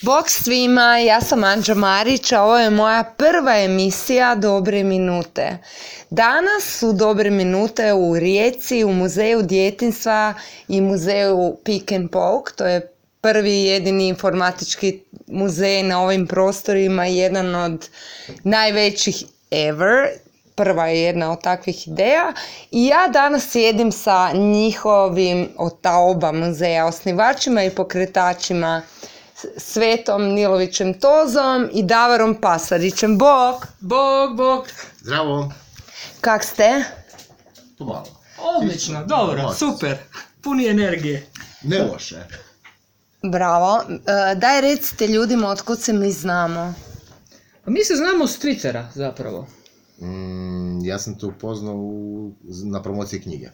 Bog svima, ja sam Anđa Marić, a ovo je moja prva emisija Dobre minute. Danas su Dobre minute u Rijeci, u Muzeju djetinjstva i Muzeju Pick and Poke. To je prvi i jedini informatički muzej na ovim prostorima, jedan od najvećih ever. Prva je jedna od takvih ideja i ja danas sjedim sa njihovim od ta oba muzeja osnivačima i pokretačima Svetom Nilovićem Tozom i Davorom Pasarićem. Bog! Bog! Zdravo! Kak ste? Pomalo. Odlično, dobro, super, puni energije. Ne loše. Bravo. Daj recite ljudima otkud se mi znamo. Mi se znamo s Twittera zapravo. Ja sam te upoznao na promociji knjige.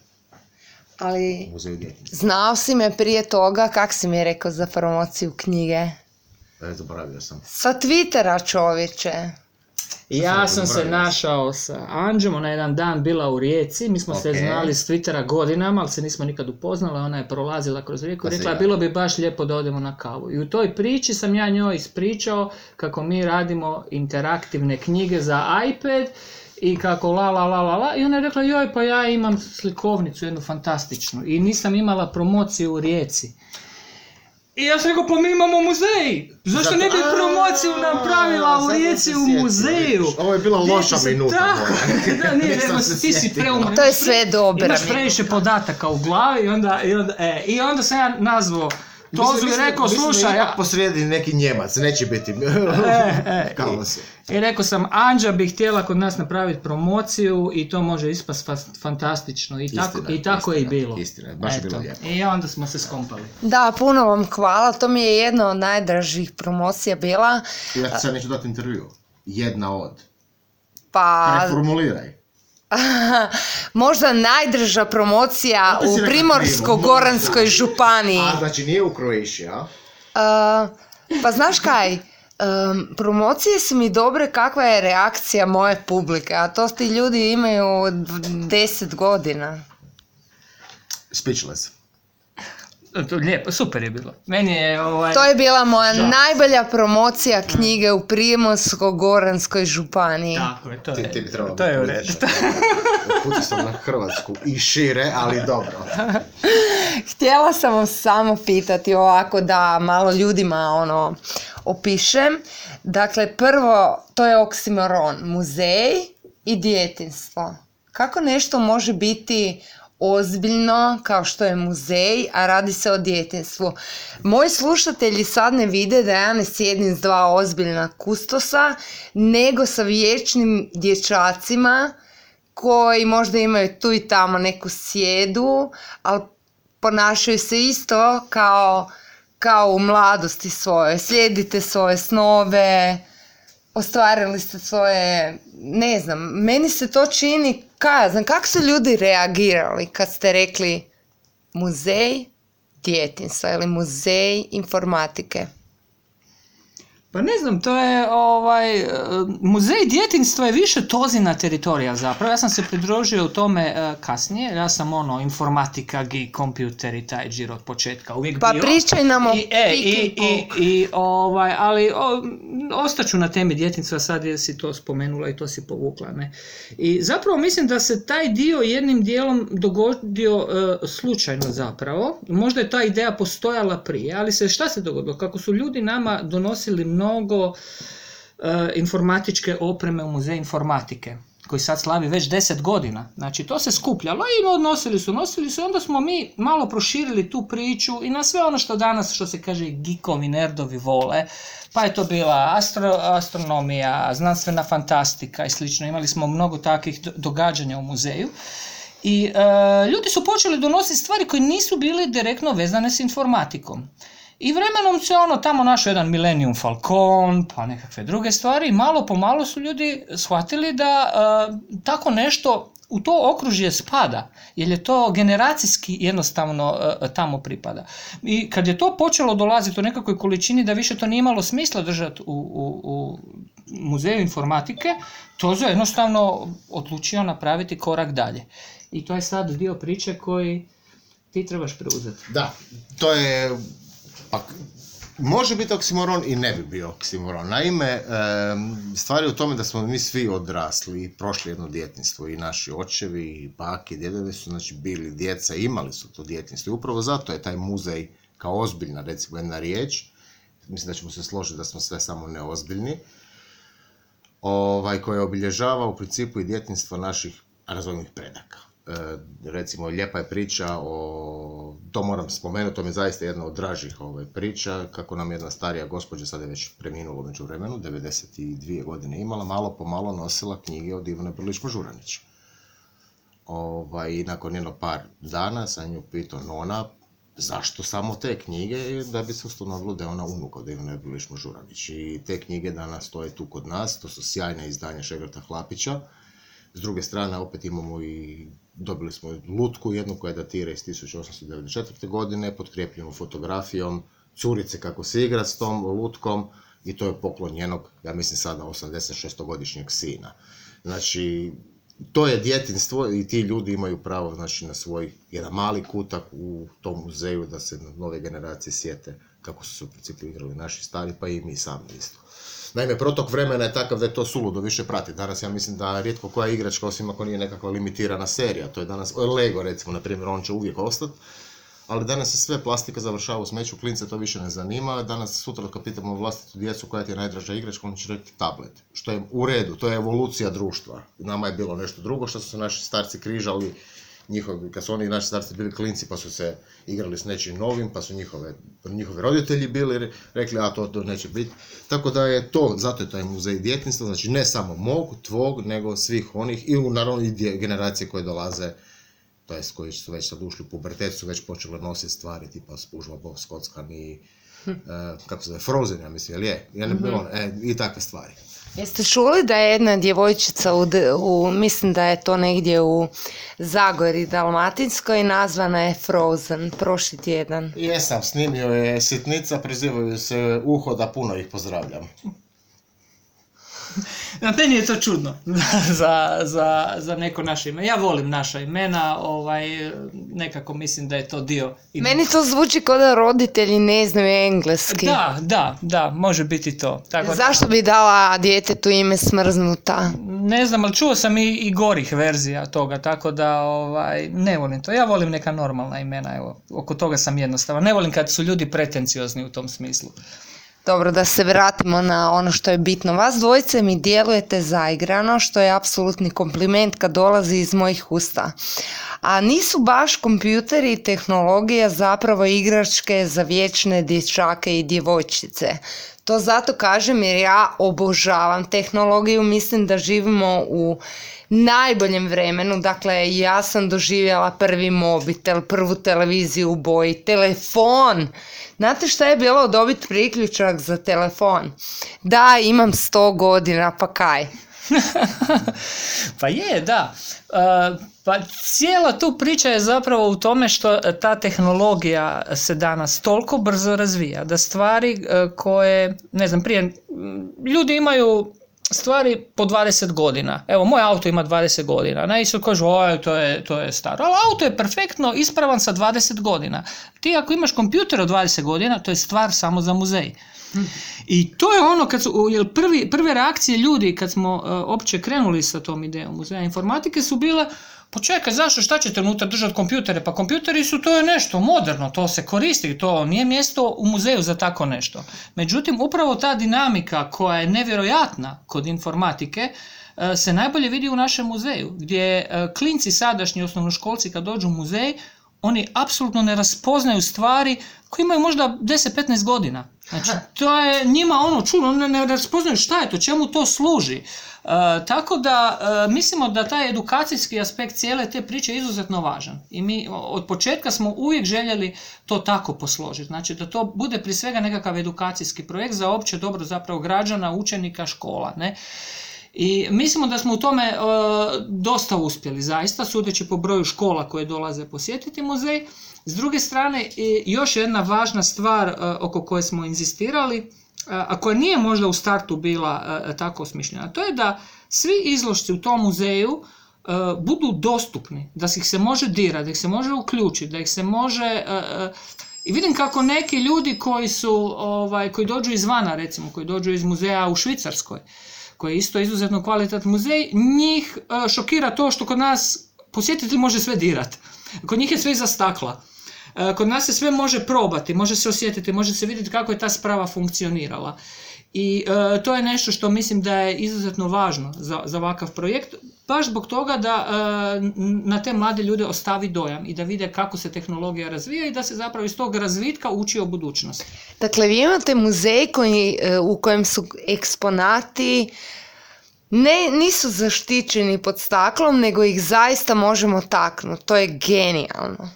Ali Muzeju djetinjstva. znao si me prije toga, kak si mi rekao za promociju knjige? Zaboravio sam. Sa Twittera, čovječe. Ja sam se našao sa Anđom, ona je jedan dan bila u Rijeci, mi smo se znali s Twittera godinama, ali se nismo nikad upoznali, ona je prolazila kroz Rijeku i rekla bilo bi baš lijepo da odemo na kavu. I u toj priči sam ja njoj ispričao kako mi radimo interaktivne knjige za iPad i kako i ona je rekla joj pa ja imam slikovnicu jednu fantastičnu i nisam imala promociju u Rijeci. I ja sam rekao, pa mi imamo muzej, zašto ne bi promociju napravila u Rijeci u muzeju? Ovo je bila loša minuta. Da, nije, nego ti si preuman. To je sve dobro. Imaš previše podataka u glavi i onda sam ja nazvao Tozu i rekao, slušaj... Mislim posrijedi neki Njemac, neće biti kaos. I rekao sam, Anđa bi htjela kod nas napraviti promociju i to može ispast fantastično. I tako je i bilo. Istina, baš je bilo lijepo. I onda smo se skompali. Da, puno vam hvala, to mi je jedna od najdražih promocija bila. Ja ti sad neću dati intervju. Jedna od. Pa... Preformuliraj. Možda najdrža promocija u Primorsko-goranskoj županiji. A, znači nije u Croatia, a? Pa znaš kaj, promocije su mi dobre kakva je reakcija moje publike, a to ti ljudi imaju 10 godina. Speechless. Lijepo, super je bilo. Meni je To je bila moja najbolja promocija knjige u Primorsko-goranskoj županiji. Tako je, Ti bi trebalo to je u redu. Puti sam na Hrvatsku i šire, ali dobro. Htjela sam vam samo pitati ovako da malo ljudima opišem. Dakle, prvo, to je oksimoron, muzej i djetinjstvo. Kako nešto može biti ozbiljno kao što je muzej, a radi se o djetinjstvu? Moji slušatelji sad ne vide da ja ne sjedim s dva ozbiljna kustosa, nego sa vječnim dječacima koji možda imaju tu i tamo neku sjedu, ali ponašaju se isto kao u mladosti svoje. Slijedite svoje snove, ostvarili ste svoje, ne znam, meni se to čini, kako su ljudi reagirali kad ste rekli muzej djetinjstva ili muzej informatike? Pa ne znam, to je muzej djetinjstva je više Tozina teritorija zapravo. Ja sam se pridružio u tome kasnije. Ja sam informatika, geek, kompjuter i taj džir od početka uvijek bio. Pa pričaj nam o ali ostaću na temi djetinjstva, sad je si to spomenula i to si povukla. Ne? I zapravo mislim da se taj dio jednim dijelom dogodio slučajno zapravo. Možda je ta ideja postojala prije, ali šta se dogodilo? Kako su ljudi nama donosili mnogo informatičke opreme u Muzej informatike, koji sad slavi već 10 godina. Znači, to se skupljalo i nosili su, onda smo mi malo proširili tu priču i na sve ono što danas, što se kaže, geekovi, nerdovi vole, pa je to bila astronomija, znanstvena fantastika i slično. Imali smo mnogo takvih događanja u muzeju. I ljudi su počeli donositi stvari koje nisu bile direktno vezane s informatikom. I vremenom se tamo našao jedan Millennium Falcon, pa nekakve druge stvari i malo po malo su ljudi shvatili da tako nešto u to okružje spada, jer je to generacijski jednostavno tamo pripada. I kad je to počelo dolaziti u nekakvoj količini da više to nije imalo smisla držati u muzeju informatike, Tozo je jednostavno odlučio napraviti korak dalje. I to je sad dio priče koji ti trebaš preuzeti. Da, to je Može biti oksimoron i ne bi bio oksimoron. Naime, stvar je u tome da smo mi svi odrasli, prošli jedno djetinjstvo, i naši očevi, i bake, i djedovi su znači, bili djeca, imali su to djetinjstvo. I upravo zato je taj muzej kao ozbiljna, recimo, jedna riječ, mislim da ćemo se složiti da smo sve samo neozbiljni, koje obilježava u principu i djetinjstvo naših razvojnih predaka. Recimo, lijepa je priča to moram spomenuti, to mi je zaista jedna od dražih priča, kako nam jedna starija gospođa, sad je već preminula u međuvremenu, 92 godine imala, malo po malo nosila knjige od Ivane Brlić-Mažuranić. I nakon jedno par dana sam nju pitao, nona, zašto samo te knjige, da bi se ustanovilo da je ona unuk od Ivane Brlić-Mažuranić. I te knjige danas stoje tu kod nas, to su sjajne izdanja Šegrta Hlapića. S druge strane, opet dobili smo lutku, jednu koja datira iz 1894. godine, potkrijepljenu fotografijom curice kako se igra s tom lutkom, i to je poklon njenog, ja mislim sada 86-godišnjeg sina. Znači, to je djetinjstvo i ti ljudi imaju pravo, znači, na svoj jedan mali kutak u tom muzeju, da se nove generacije sjete kako su se u principu igrali naši stari, pa i mi sami isto. Naime, protok vremena je takav da je to suludo više prati. Danas ja mislim da rijetko koja igračka, osim ako nije nekakva limitirana serija, to je danas Lego, recimo, na primjer, on će uvijek ostati, ali danas se sve plastika završava u smeću, klince to više ne zanima. Danas, sutra kad pitamo vlastitu djecu koja ti je najdraža igračka, on će reći tablet, što je u redu, to je evolucija društva. Nama je bilo nešto drugo što su se naši starci križali, kad su oni naši starci bili klinci, pa su se igrali s nečim novim, pa su njihovi roditelji bili rekli, a to neće biti. Tako da je to, zato je taj muzej djetinjstva, znači ne samo mog, tvog, nego svih onih, i naravno i generacije koje dolaze, to jest koji su već sad ušli u pubertet, su već počeli nositi stvari tipa Spužva, Bob Skockan i kako se zove, Frozen, ja mislim, i takve stvari. Jeste čuli da je jedna djevojčica, mislim da je to negdje u Zagori Dalmatinskoj, nazvana je Frozen, prošli tjedan? Jesam, snimio je Sitnica, prizivaju se Uho, da puno ih pozdravljam. Meni je to čudno za neko naše ime. Ja volim naša imena, nekako mislim da je to dio. Meni to zvuči kao da roditelji ne znaju engleski. Da, može biti to. Tako, zašto bi dala djetetu ime Smrznuta? Ne znam, ali čuo sam i gorih verzija toga, tako da ne volim to. Ja volim neka normalna imena, evo, oko toga sam jednostavan. Ne volim kad su ljudi pretenciozni u tom smislu. Dobro, da se vratimo na ono što je bitno. Vas dvojice mi djelujete zaigrano, što je apsolutni kompliment kad dolazi iz mojih usta. A nisu baš kompjuteri i tehnologija zapravo igračke za vječne dječake i djevojčice. To zato kažem jer ja obožavam tehnologiju, mislim da živimo u najboljem vremenu. Dakle, ja sam doživjela prvi mobitel, prvu televiziju u boji, telefon. Znate šta je bilo dobiti priključak za telefon? Da, imam 100 godina, pa kaj? Pa je, da. Pa cijela tu priča je zapravo u tome što ta tehnologija se danas toliko brzo razvija, da stvari koje, ne znam, prije ljudi imaju stvari po 20 godina. Evo, moj auto ima 20 godina. I su kažu, to je staro. Ali auto je perfektno ispravan sa 20 godina. Ti ako imaš kompjuter od 20 godina, to je stvar samo za muzej. I to je ono, prve reakcije ljudi kad smo opće krenuli sa tom idejom muzeja informatike su bile, pa čekaj, zašto, šta ćete unutra držati kompjutere? Pa kompjuteri to je nešto moderno, to se koristi, to nije mjesto u muzeju za tako nešto. Međutim, upravo ta dinamika koja je nevjerojatna kod informatike se najbolje vidi u našem muzeju, gdje klinci sadašnji osnovnoškolci kad dođu u muzej, oni apsolutno ne raspoznaju stvari koji imaju možda 10-15 godina. Znači, to je njima čudno, ne raspoznaju šta je to, čemu to služi. Tako da mislimo da taj edukacijski aspekt cijele te priče je izuzetno važan. I mi od početka smo uvijek željeli to tako posložiti. Znači da to bude prije svega nekakav edukacijski projekt za opće dobro zapravo građana, učenika, škola. Ne? I mislimo da smo u tome dosta uspjeli, zaista, sudeći po broju škola koje dolaze posjetiti muzej. S druge strane, još jedna važna stvar oko koje smo inzistirali, a koja nije možda u startu bila tako osmišljena, to je da svi izložci u tom muzeju budu dostupni, da ih se može dirati, da ih se može uključiti, da ih se može I vidim kako neki ljudi koji dođu izvana, recimo, koji dođu iz muzeja u Švicarskoj, koji je isto izuzetno kvalitetan muzej, njih šokira to što kod nas posjetitelj može sve dirati. Kod njih je sve iza stakla. Kod nas se sve može probati, može se osjetiti, može se vidjeti kako je ta sprava funkcionirala. I to je nešto što mislim da je izuzetno važno za ovakav projekt, baš zbog toga da na te mlade ljude ostavi dojam i da vide kako se tehnologija razvija i da se zapravo iz tog razvitka uči o budućnosti. Dakle, vi imate muzej u kojem su eksponati nisu zaštićeni pod staklom, nego ih zaista možemo taknuti. To je genijalno.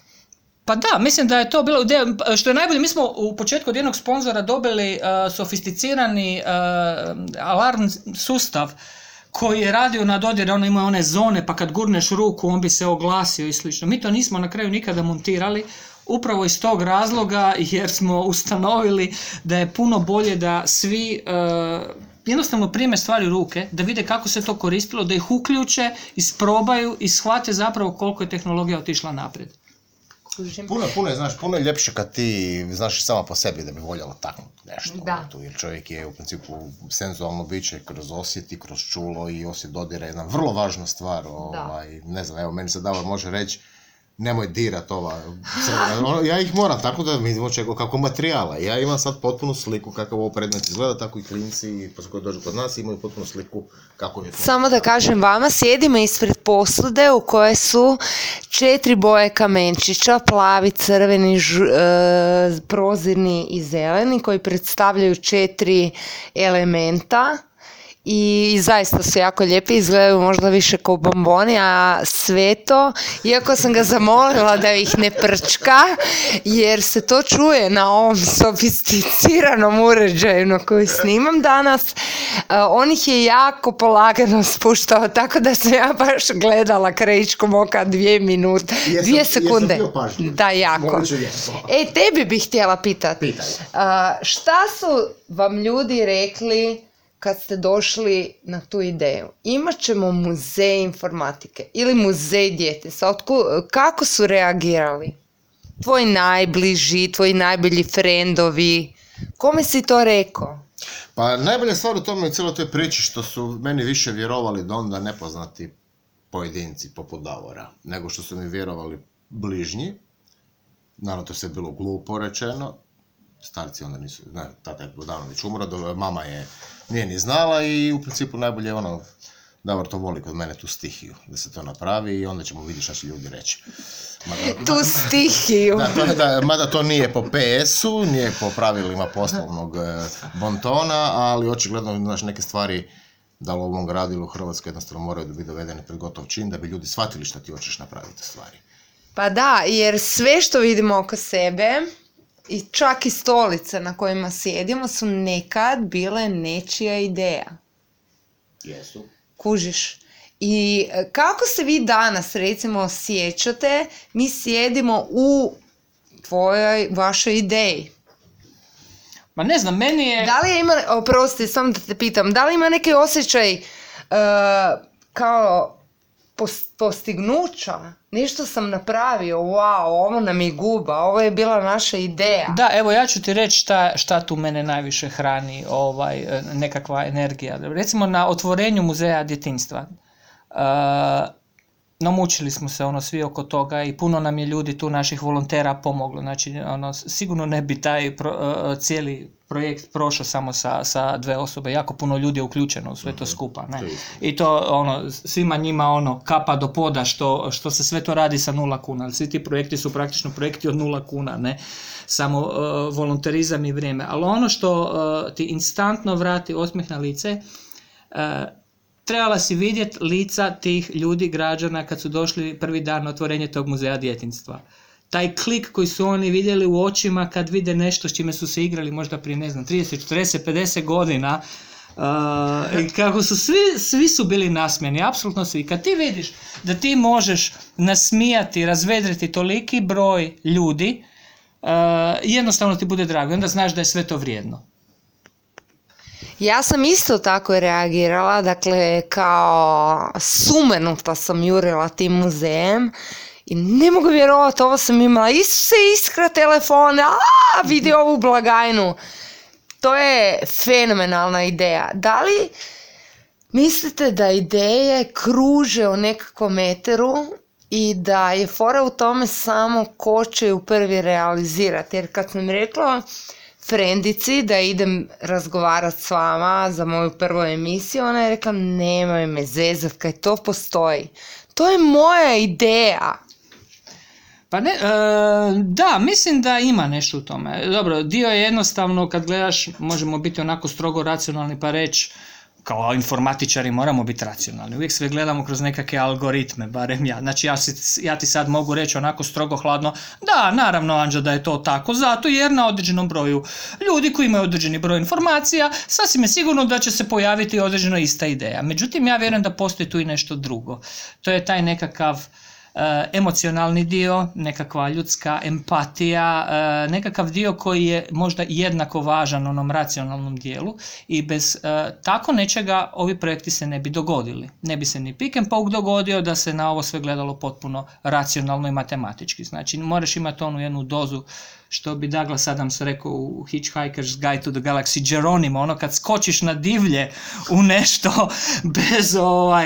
Pa da, mislim da je to bilo, što je najbolje, mi smo u početku od jednog sponzora dobili sofisticirani alarm sustav koji je radio na dodir, ono ima one zone, pa kad gurneš ruku on bi se oglasio i slično. Mi to nismo na kraju nikada montirali, upravo iz tog razloga, jer smo ustanovili da je puno bolje da svi jednostavno prime stvari u ruke, da vide kako se to koristilo, da ih uključe, isprobaju i shvate zapravo koliko je tehnologija otišla naprijed. Puno je ljepše kad ti znaš sama po sebi da bi voljela taknuti nešto. Da. Jer čovjek je u principu senzualno biće kroz osjeti, kroz čulo i osjet dodira je jedna vrlo važna stvar. Ne znam, evo meni se Davor može reći nemoj dirat ova crvena. Ja ih moram tako da mi vidimo kako materijala. Ja imam sad potpunu sliku kako ovo predmet izgleda, tako i klinci koji dođu kod nas imaju potpunu sliku kako je to. Samo da kažem vama, sjedimo ispred posude u kojoj su 4 boje kamenčića, plavi, crveni, prozirni i zeleni, koji predstavljaju 4 elementa. I zaista su jako lijepi, izgledaju možda više kao bomboni, a sve to, iako sam ga zamolila da ih ne prčka, jer se to čuje na ovom sofisticiranom uređaju na koji snimam danas, on ih je jako polagano spuštao, tako da sam ja baš gledala krajičkom oka 2 minute, 2 sekunde. Da, jako. Tebi bih htjela pitati, šta su vam ljudi rekli kad ste došli na tu ideju? Imat ćemo muzej informatike ili muzej djetinjstva. Kako su reagirali? Tvoji najbliži, tvoji najbolji frendovi? Kome si to rekao? Pa najbolja stvar u tome i cijeloj toj priči što su meni više vjerovali da onda nepoznati pojedinci poput Davora, nego što su mi vjerovali bližnji. Naravno to sve bilo glupo rečeno. Starci onda nisu, tata je davno već umro, mama nije ni znala i u principu najbolje je Davor to voli kod mene tu stihiju, da se to napravi i onda ćemo vidjeti šta će ljudi reći. Tu stihiju. Mada to nije po PS-u, nije po pravilima poslovnog bontona, ali očigledno neke stvari da u ovom gradu ili u Hrvatskoj jednostavno moraju biti dovedene pred gotov čin da bi ljudi shvatili šta ti hoćeš napraviti stvari. Pa da, jer sve što vidimo oko sebe i čak i stolice na kojima sjedimo su nekad bile nečija ideja. Jesu. Kužiš. I kako se vi danas recimo osjećate, mi sjedimo u vašoj ideji. Ma ne znam, meni je... Da li ima, oprosti, samo da te pitam, da li ima neki osjećaj kao postignuća? Nešto sam napravio, wow, ovo nam je guba, ovo je bila naša ideja. Da, evo ja ću ti reći šta tu mene najviše hrani, nekakva energija. Recimo na otvorenju muzeja djetinjstva. Namučili smo se svi oko toga i puno nam je ljudi tu naših volontera pomoglo. Znači, sigurno ne bi taj cijeli projekt prošao samo sa 2 osobe. Jako puno ljudi je uključeno u sve to skupa. Ne? I to svima njima kapa do poda što se sve to radi sa 0 kuna. Svi ti projekti su praktično projekti od 0 kuna. Ne? Samo volonterizam i vrijeme. Ali ono što ti instantno vrati osmijeh na lice, trebala si vidjeti lica tih ljudi, građana, kad su došli prvi dan na otvorenje tog muzeja djetinjstva. Taj klik koji su oni vidjeli u očima kad vide nešto s čime su se igrali možda prije, 30, 40, 50 godina, i kako su svi su bili nasmijeni, apsolutno svi. Kad ti vidiš da ti možeš nasmijati, razvedriti toliki broj ljudi, jednostavno ti bude drago. Onda znaš da je sve to vrijedno. Ja sam isto tako reagirala, dakle kao sumenuta sam jurila tim muzejem I ne mogu vjerovati, ovo sam imala, Isuse, iskra telefone, vidi ovu blagajnu. To je fenomenalna ideja. Da li mislite da ideje kruže u nekakvom eteru i da je fora u tome samo ko će ju prvi realizirati? Jer kad sam rekla frendici da idem razgovarati s vama za moju prvu emisiju, ona je rekla nemoj me zezat kaj to postoji. To je moja ideja. Pa ne, da, mislim da ima nešto u tome. Dobro, dio je jednostavno, kad gledaš, možemo biti onako strogo racionalni pa reći, kao informatičari moramo biti racionalni. Uvijek sve gledamo kroz nekakve algoritme, barem ja. Znači ja ti sad mogu reći onako strogo hladno, da, naravno Anđa da je to tako, zato jer na određenom broju ljudi koji imaju određeni broj informacija, sasvim je sigurno da će se pojaviti određeno ista ideja. Međutim, ja vjerujem da postoji tu i nešto drugo. To je taj nekakav emocionalni dio, nekakva ljudska empatija, nekakav dio koji je možda jednako važan onom racionalnom dijelu i bez tako nečega ovi projekti se ne bi dogodili. Ne bi se ni Pick and Poke dogodio da se na ovo sve gledalo potpuno racionalno i matematički. Znači moraš imati onu jednu dozu, što bi Douglas Adams rekao u Hitchhiker's Guide to the Galaxy, Geronimo, ono kad skočiš na divlje u nešto bez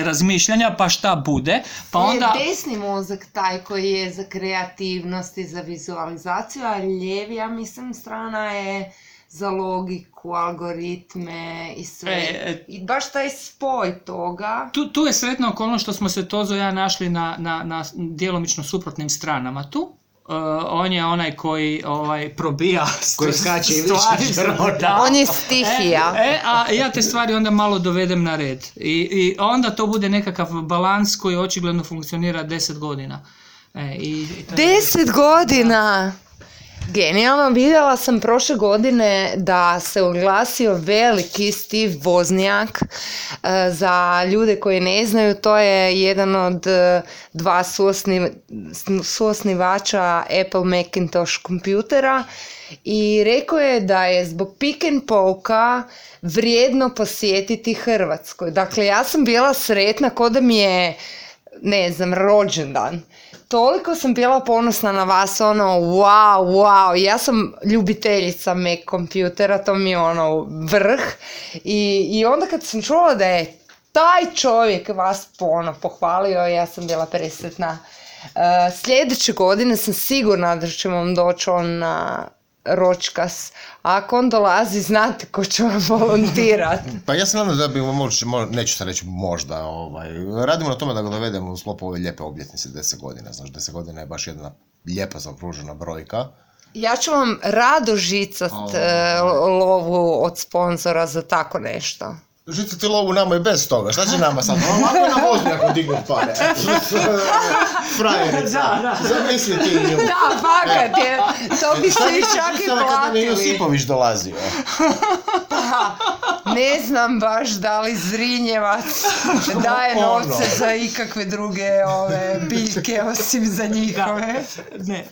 razmišljanja, pa šta bude, pa onda... Desni mozak taj koji je za kreativnost i za vizualizaciju, a lijevi, ja mislim, strana je za logiku, algoritme i sve. I baš taj spoj toga... Tu je sretna okolnost što smo se Tozo i ja našli na djelomično suprotnim stranama tu. On je onaj koji probija koji skače i on je stihija. A ja te stvari onda malo dovedem na red. I onda to bude nekakav balans koji očigledno funkcionira 10 godina. 10 godina! Genijalno, vidjela sam prošle godine da se oglasio veliki Steve Wozniak. Za ljude koji ne znaju, to je jedan od dva suosnivača Apple Macintosh kompjutera i rekao je da je zbog Pick and Poke vrijedno posjetiti Hrvatsku. Dakle, ja sam bila sretna ko da mi je, ne znam, rođendan. Toliko sam bila ponosna na vas, wow, ja sam ljubiteljica Mac kompjutera, to mi je vrh. I onda kad sam čula da je taj čovjek vas pohvalio, ja sam bila presretna. Sljedeće godine sam sigurna da će vam doći on na ročkas. Ako on dolazi, znate ko će vam volontirati. Pa ja se nadam da bi neću sad reći možda, radimo na tome da ga dovedemo u sklopu ove lijepe obljetnice 10 godina. Znaš, 10 godina je baš jedna lijepa zaokružena brojka. Ja ću vam rado žicat lovu od sponzora za tako nešto. Žicati lovu nama i bez toga, šta će nama sad? Ovako je na Wozniaku dignut pare. Frajerica. Zamisli ti nju. Da, fakat je. To bi se i čak i platili. Kada mi Josipović dolazio. Ne znam baš da li Zrinjevac daje novce za ikakve druge biljke osim za njihove. Ne,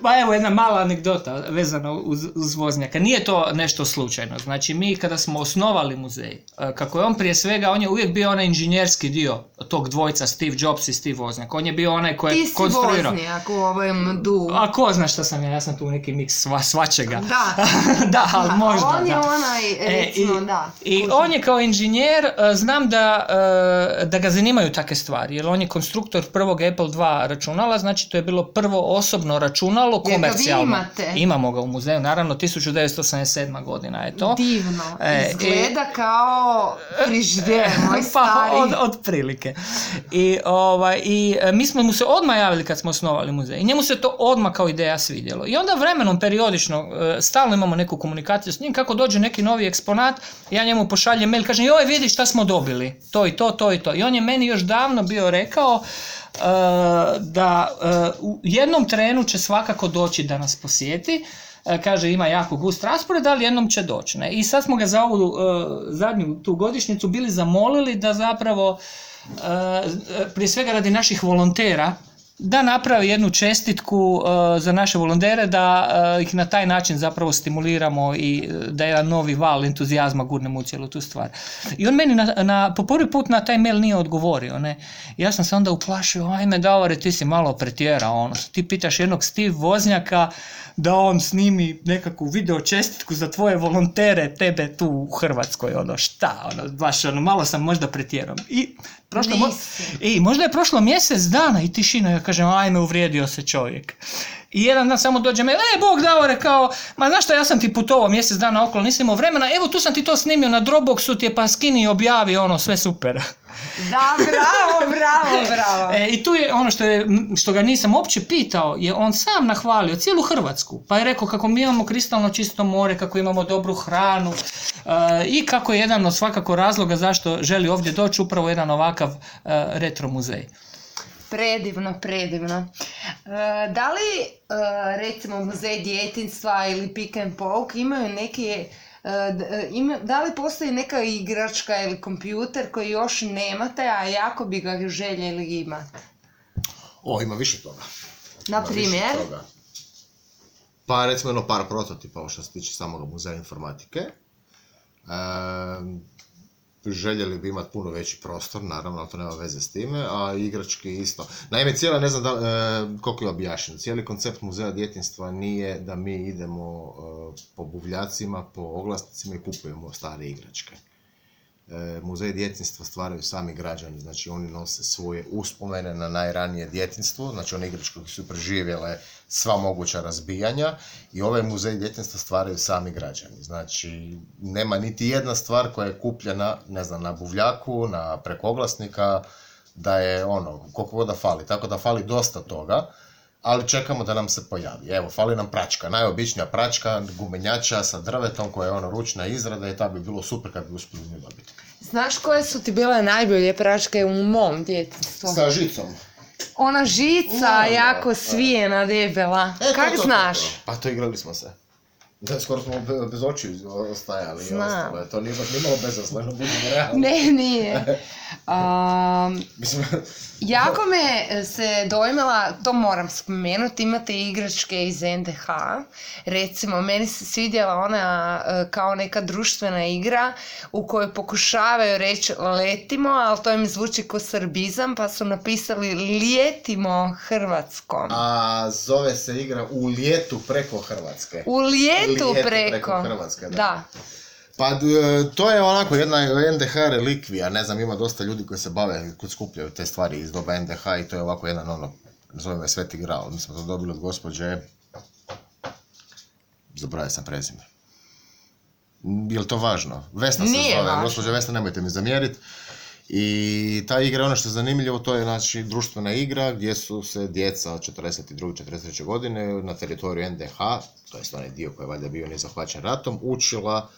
pa evo jedna mala anegdota vezana uz Wozniaka. Nije to nešto slučajno. Znači mi kada smo osnovali muzej, kako je on prije svega, on je uvijek bio onaj inženjerski dio tog dvojca, Steve Jobs i Steve Wozniak. On je bio onaj koji je konstruirao. Ti si Wozniak u ovom du. A ko zna šta sam ja sam tu neki miks svačega. Da. Da, ali možda. On je onaj, recimo, I on je kao inženjer, znam da ga zanimaju takve stvari, jer on je konstruktor prvog Apple II računala, znači to je bilo prvo osobno računalo, komercijalno. Jer ga vi imate. Imamo ga u muzeju, naravno 1987. godina je to. Divno, izgleda kao frižider, moj stari. Od prilike. I mi smo mu se odmah javili kad smo osnovali muzej. I njemu se to odmah kao ideja svidjelo. I onda vremenom, periodično, stalno imamo neku komunikaciju s njim, kako dođe neki novi eksponat, ja njemu pošaljem mail, kažem, joj vidi šta smo dobili, to i to, to i to. I on je meni još davno bio rekao da u jednom trenu će svakako doći da nas posjeti. Kaže, ima jako gust raspored, ali jednom će doći. Ne? I sad smo ga za ovu zadnju tu godišnjicu bili zamolili da zapravo, prije svega radi naših volontera, da napravi jednu čestitku za naše volontere, da ih na taj način zapravo stimuliramo i da jedan novi val entuzijazma gurnemo u cijelu tu stvar. I on meni po prvi put na taj mail nije odgovorio. Ne? Ja sam se onda uplašio, ajme Davore, ti si malo pretjerao. Ono. Ti pitaš jednog Steve Voznjaka da on snimi nekakvu video čestitku za tvoje volontere, tebe tu u Hrvatskoj, šta, baš malo sam možda pretjerao. I možda je prošlo mjesec dana i tišina, ja kažem, ajme, uvrijedio se čovjek. I jedan dan samo dođe me, Bog Davore, kao, ma znaš šta, ja sam ti putovao mjesec dana okolo, nisam imao vremena, evo tu sam ti to snimio na Dropboxu, ti je pa skini i objavi, sve super. Da, bravo. I tu je ono što ga nisam uopće pitao, je on sam nahvalio cijelu Hrvatsku, pa je rekao kako mi imamo kristalno čisto more, kako imamo dobru hranu i kako je jedan od svakako razloga zašto želi ovdje doći upravo jedan ovakav retro muzej. Predivno. Da li, recimo, muzej djetinjstva ili Pick and Poke imaju neke... da li postoji neka igračka ili kompjuter koji još nemate, a jako bi ga željeli imati? Ima više toga. Na primjer? Pa recimo par prototipa što se tiče samog muzeja informatike. Željeli bi imati puno veći prostor, naravno, ali to nema veze s time, a igrački isto. Naime, ne znam koliko je objašnjeno, cijeli koncept muzeja djetinjstva nije da mi idemo po buvljacima, po oglasnicima i kupujemo stare igračke. Muzej djetinjstva stvaraju sami građani, znači oni nose svoje uspomene na najranije djetinjstvo, znači one igračke koje su preživjele sva moguća razbijanja i ovaj muzej djetinjstva stvaraju sami građani. Znači, nema niti jedna stvar koja je kupljena, ne znam, na buvljaku, preko oglasnika, da je koliko god da fali. Tako da fali dosta toga, ali čekamo da nam se pojavi. Evo, fali nam pračka, najobičnija pračka, gumenjača sa drvetom koja je ručna izrada i ta bi bilo super kad bi uspjeli nju dobiti. Znaš koje su ti bile najbolje pračke u mom djetinjstvu? Sa žicom. Ona žica, jako svijena, debela. Kak znaš? Pa to igrali smo se. Da, skoro smo bez očiju ostajali. Znam. To nije baš nimalo bezazleno, budemo realni. Ne, nije. Jako me se dojmila, to moram spomenuti, imate igračke iz NDH. Recimo, meni se svidjela ona kao neka društvena igra u kojoj pokušavaju reći letimo, ali to im zvuči ko srbizam, pa su napisali lijetimo Hrvatskom. A zove se igra u lijetu preko Hrvatske. U lijetu preko Hrvatske, da. Pa to je onako jedna NDH relikvija, ne znam, ima dosta ljudi koji se bave, koji skupljaju te stvari iz doba NDH i to je ovako jedan zovem je Sveti Gral, mi smo to dobili od gospođe, zaboravio sam prezime. Je li to važno? Vesna se zove, gospođa Vesna, nemojte mi zamjeriti. I ta igra, ono što je zanimljivo, to je znači društvena igra gdje su se djeca od 42. 43. godine na teritoriju NDH, to je onaj dio koji je valjda bio nezahvaćen ratom, učila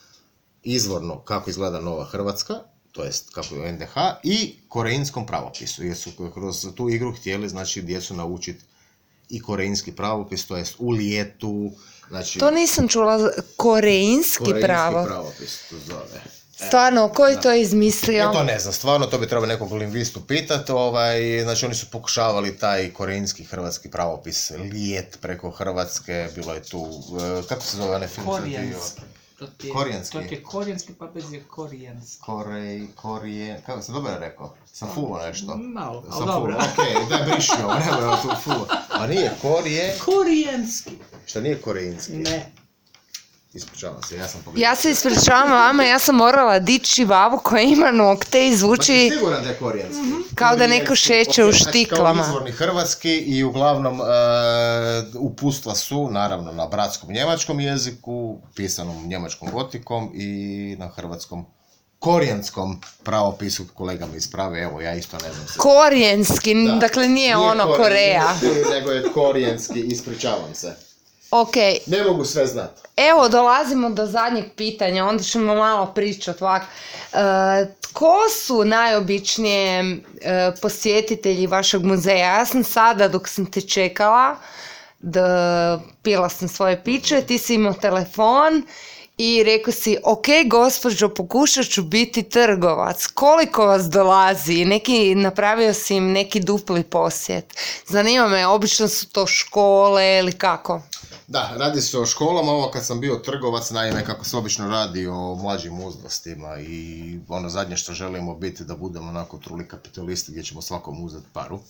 izvorno kako izgleda Nova Hrvatska, to jest kako je u NDH, i korejskom pravopisu, jer su kroz tu igru htjeli, znači, djecu naučiti i korejski pravopis, to jest u lijetu, znači... To nisam čula, korejski pravopis. Pravopis, to zove. Stvarno, ko je to izmislio? To ne znam, stvarno, to bi trebalo nekog lingvistu pitati, znači oni su pokušavali taj korejski hrvatski pravopis, lijet preko Hrvatske, bilo je tu, kako se zove onaj film? Korijenski. To je korijenski, pa bez je korijenski. Kako sam dobro rekao? Sam fulo nešto. Malo, ali dobro. Okej, daj briši ovo, nema tu fulo. A nije korijenski. Šta nije korejinski? Ne. Ispričavam se, ja sam pogledao. Ja se ispričavam vama, ja sam morala dići babu koja ima nokte i zvuči... Pa siguran da je korijenski. Kao da neko šeće u štiklama. Kao izvorni hrvatski i uglavnom upustva su, naravno, na bratskom njemačkom jeziku, pisanom njemačkom gotikom i na hrvatskom korijanskom pravopisu, kolega mi isprave, evo ja isto ne znam se. Korijenski, dakle nije ono Koreja. Nego je korijenski, ispričavam se. Ok. Ne mogu sve znati. Evo, dolazimo do zadnjeg pitanja, onda ćemo malo pričati ovako. Tko su najobičnije posjetitelji vašeg muzeja? Ja sam sada, dok sam te čekala, pila sam svoje piće, ti si imao telefon i rekao si, ok, gospođo, pokušat ću biti trgovac. Koliko vas dolazi? Napravio si im neki dupli posjet. Zanima me, obično su to škole ili kako? Da, radi se o školama. Ovo kad sam bio trgovac, naime, kako se obično radi o mlađim uzrastima i ono zadnje što želimo biti da budemo onako truli kapitalisti gdje ćemo svakom uzeti paru.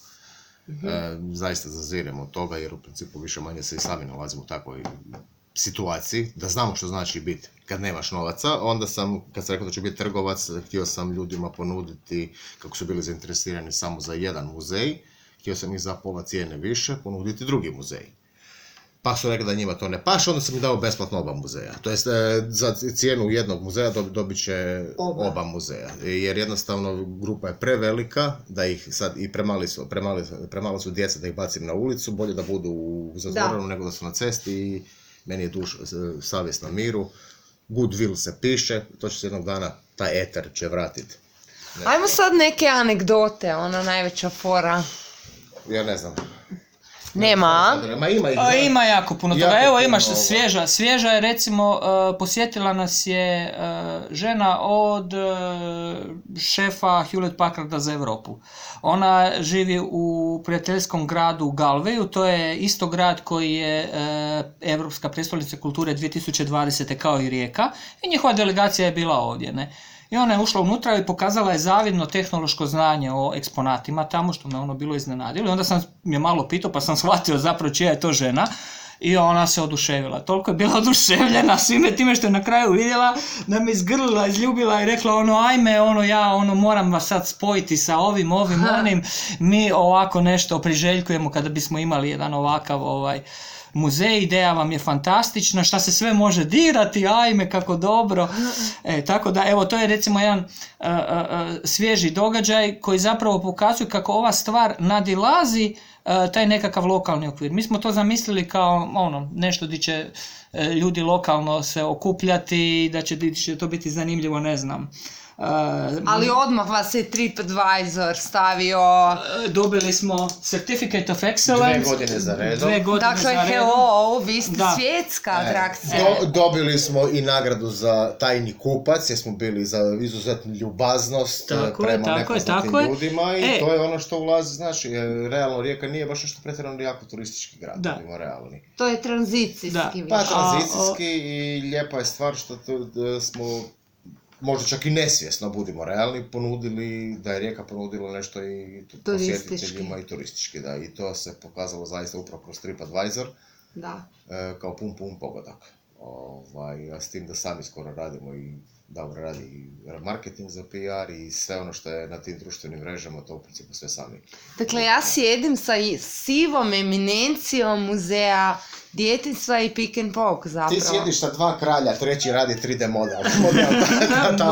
Zaista zaziremo od toga jer u principu više manje se i sami nalazimo u takvoj situaciji, da znamo što znači biti kad nemaš novaca. Onda sam, kad sam rekao da ću biti trgovac, htio sam ljudima ponuditi, kako su bili zainteresirani samo za jedan muzej, htio sam ih za pola cijene više ponuditi drugi muzej. Pa su rekli da njima to ne paše, onda sam im dao besplatno oba muzeja. To jest, za cijenu jednog muzeja dobit će oba muzeja. Jer jednostavno grupa je prevelika, da ih sad i premalo su djeca da ih bacim na ulicu, bolje da budu u zatvorenu nego da su na cesti i meni je savjest na miru. Goodwill se piše, to će se jednog dana, taj eter će vratiti. Ajmo sad neke anegdote, ona najveća fora. Ja ne znam. Nema? Ima jako puno toga. Evo imaš svježa je recimo, posjetila nas je žena od šefa Hewlett Packarda za Europu. Ona živi u prijateljskom gradu Galveju, to je isto grad koji je Europska prijestolnica kulture 2020. kao i Rijeka i njihova delegacija je bila ovdje, ne? I ona je ušla unutra i pokazala je zavidno tehnološko znanje o eksponatima tamo, što me ono bilo iznenadilo. I onda sam je malo pitao, pa sam shvatio zapravo čija je to žena. I ona se oduševila. Toliko je bila oduševljena svime time što je na kraju vidjela da me izgrlila, izljubila i rekla ajme, moram vas sad spojiti sa ovim, onim. Mi ovako nešto priželjkujemo kada bismo imali jedan ovakav muzej, ideja vam je fantastična, šta se sve može dirati, ajme kako dobro. Tako da, evo, to je recimo jedan svježi događaj koji zapravo pokazuje kako ova stvar nadilazi taj nekakav lokalni okvir. Mi smo to zamislili kao nešto gdje će ljudi lokalno se okupljati, da će to biti zanimljivo, ne znam. Ali odmah vas je TripAdvisor stavio... Dobili smo Certificate of Excellence. 2 godine za redom. Dakle, hello, vi ste svjetska atrakcija. Dobili smo i nagradu za tajni kupac, jer smo bili za izuzetnu ljubaznost prema nepoznatim ljudima i to je ono što ulazi, znači, realno Rijeka nije baš nešto pretjerano jako turistički grad, budimo realni. To je tranzicijski. Pa tranzicijski i lijepa je stvar što smo... možda čak i nesvjesno, budimo realni, ponudili, da je Rijeka ponudila nešto i posjetiteljima i turistički, da, i to se pokazalo zaista upravo kroz TripAdvisor, kao pun pogodak. A s tim da sami skoro radimo i dobro radi i marketing za PR i sve ono što je na tim društvenim mrežama, to u principu sve sami. Dakle, ja sjedim sa sivom eminencijom muzeja djetinjstva i Pick and Poke zapravo. Ti sjediš sa 2 kralja, treći radi 3D model.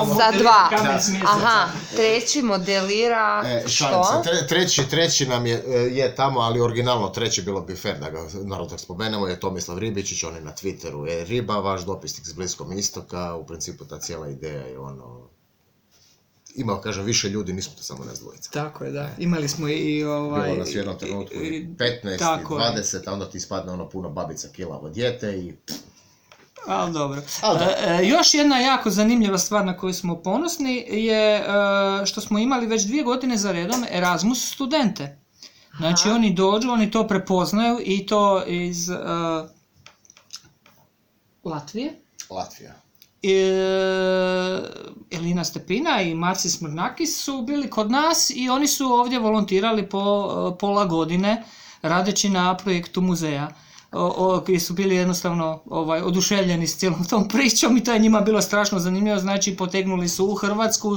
Za 2. Aha, treći modelira što? Treći nam je tamo, ali originalno treći bilo bi fair da ga naravno spomenemo, je Tomislav Ribičić, on je na Twitteru, Riba, vaš dopisnik s Bliskog istoka, u principu ta cijela ideja je imao, kažem, više ljudi, nismo to samo nas dvojica. Tako je, da. Imali smo i Bilo nas u jednom trenutku 15, 20, a onda ti ispadne puno babica kilavo dijete i... Ali dobro. Još jedna jako zanimljiva stvar na koju smo ponosni je što smo imali već 2 godine za redom Erasmus studente. Znači oni dođu, oni to prepoznaju i to iz Latvija. Elina Stepina i Marci Smrnakis su bili kod nas i oni su ovdje volontirali po pola godine radeći na projektu muzeja. Koji su bili jednostavno oduševljeni s cijelom tom pričom i to je njima bilo strašno zanimljivo, znači potegnuli su u Hrvatsku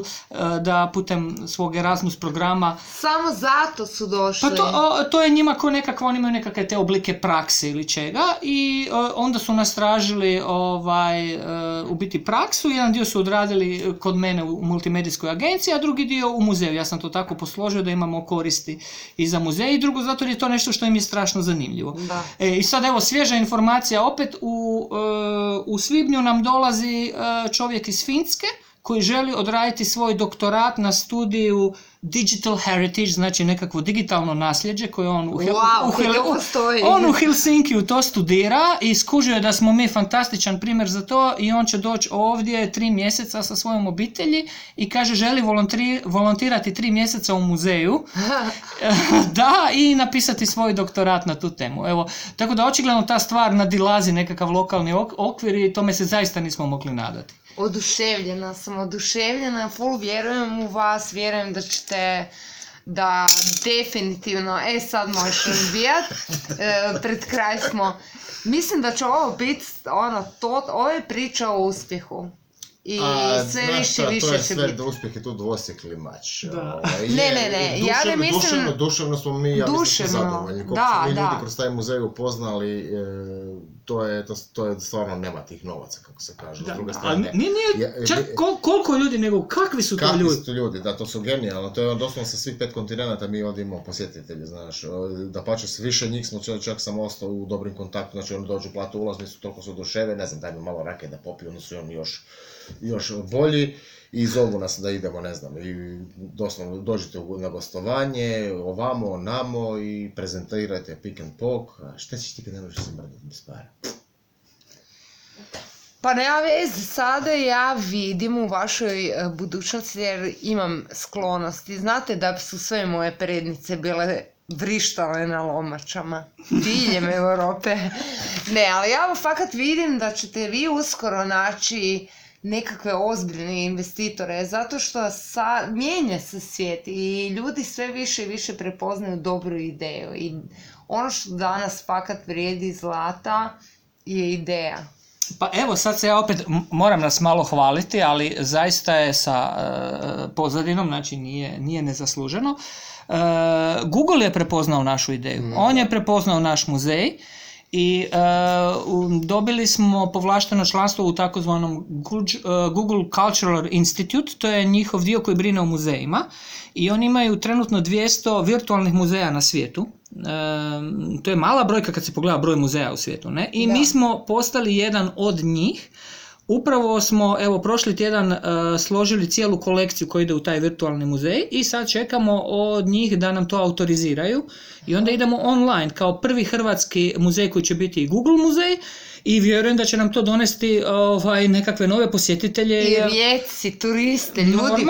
da putem svog Erasmus programa... Samo zato su došli? Pa to je njima ko nekakva, oni imaju nekakve te oblike prakse ili čega i onda su nas tražili u biti praksu, jedan dio su odradili kod mene u multimedijskoj agenciji, a drugi dio u muzeju. Ja sam to tako posložio da imamo koristi i za muzej i drugo zato je to nešto što im je strašno zanimljivo. I sad evo svježa informacija, opet u svibnju nam dolazi čovjek iz Finske koji želi odraditi svoj doktorat na studiju digital heritage, znači nekakvo digitalno nasljeđe koje on postoji. On u Helsinkiju to studira i skužio je da smo mi fantastičan primjer za to i on će doći ovdje 3 mjeseca sa svojom obitelji i kaže želi volontirati 3 mjeseca u muzeju da i napisati svoj doktorat na tu temu. Evo, tako da očigledno ta stvar nadilazi nekakav lokalni okvir i tome se zaista nismo mogli nadati. Oduševljena sam, full vjerujem u vas, vjerujem da ćete, da definitivno, sad možeš razbijat, pred kraj smo. Mislim da će ovo biti, ovo je priča o uspjehu. I sve više će biti. To je sve da uspjeh je tu dvosjekli mač. Ne, ja ne mislim... Duševno smo mi, ja mislim, zadovoljni. Koliko smo mi ljudi kroz taj muzej upoznali, to je stvarno nema tih novaca, kako se kaže. S druge strane, nije čak koliko ljudi, nego kakvi su to ljudi? Kakvi su to ljudi, da, to su genijalno. To je doslovno sa svih 5 kontinenta mi ovdje imamo posjetitelji, znaš. Da pače, s više njih smo, čak sam ostao u dobrim kontaktu, znači oni dođu, platu ulaznicu, toliko su oduševe, ne znam, daj mi malo rake da popiju, onda su oni još bolji i zovu nas da idemo, ne znam, i doslovno dođete na gostovanje, ovamo, onamo i prezentirajte pick and pok, a šta ćeš ti kad ne možeš se mrdati bez para? Pa nema veze, sada ja vidim u vašoj budućnosti jer imam sklonosti. Znate da su sve moje prednice bile vrištale na lomačama diljem Europe. Ne, ali ja fakat vidim da ćete vi uskoro naći nekakve ozbiljne investitore, zato što mijenja se svijet i ljudi sve više i više prepoznaju dobru ideju. I ono što danas fakat vrijedi zlata je ideja. Pa evo, sad se ja opet moram nas malo hvaliti, ali zaista je sa pozadinom, znači nije nezasluženo. Google je prepoznao našu ideju, on je prepoznao naš muzej i dobili smo povlašteno članstvo u takozvanom Google Cultural Institute, to je njihov dio koji brine o muzejima i oni imaju trenutno 200 virtualnih muzeja na svijetu. To je mala brojka kad se pogleda broj muzeja u svijetu, ne? I mi smo postali jedan od njih. Upravo smo, evo, prošli tjedan složili cijelu kolekciju koja ide u taj virtualni muzej i sad čekamo od njih da nam to autoriziraju i onda idemo online kao prvi hrvatski muzej koji će biti i Google muzej i vjerujem da će nam to donesti nekakve nove posjetitelje. I rijeci, turiste, ljudi,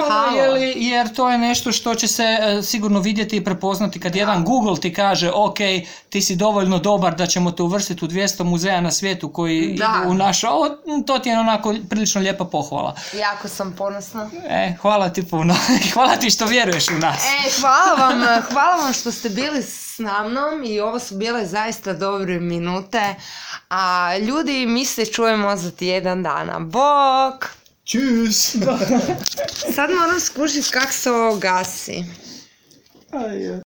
jer to je nešto što će se sigurno vidjeti i prepoznati kad jedan Google ti kaže ok, ti si dovoljno dobar da ćemo te uvrstiti u 200 muzeja na svijetu koji idu u naš, to ti je onako prilično lijepa pohvala. Jako sam ponosna. Hvala ti puno. Hvala ti što vjeruješ u nas. Hvala vam što ste bili s mnom i ovo su bile zaista dobre minute. A ljudi, mi se čujemo za tjedan dana. Bok! Čus! Sad moram skušiti kako se ovo gasi.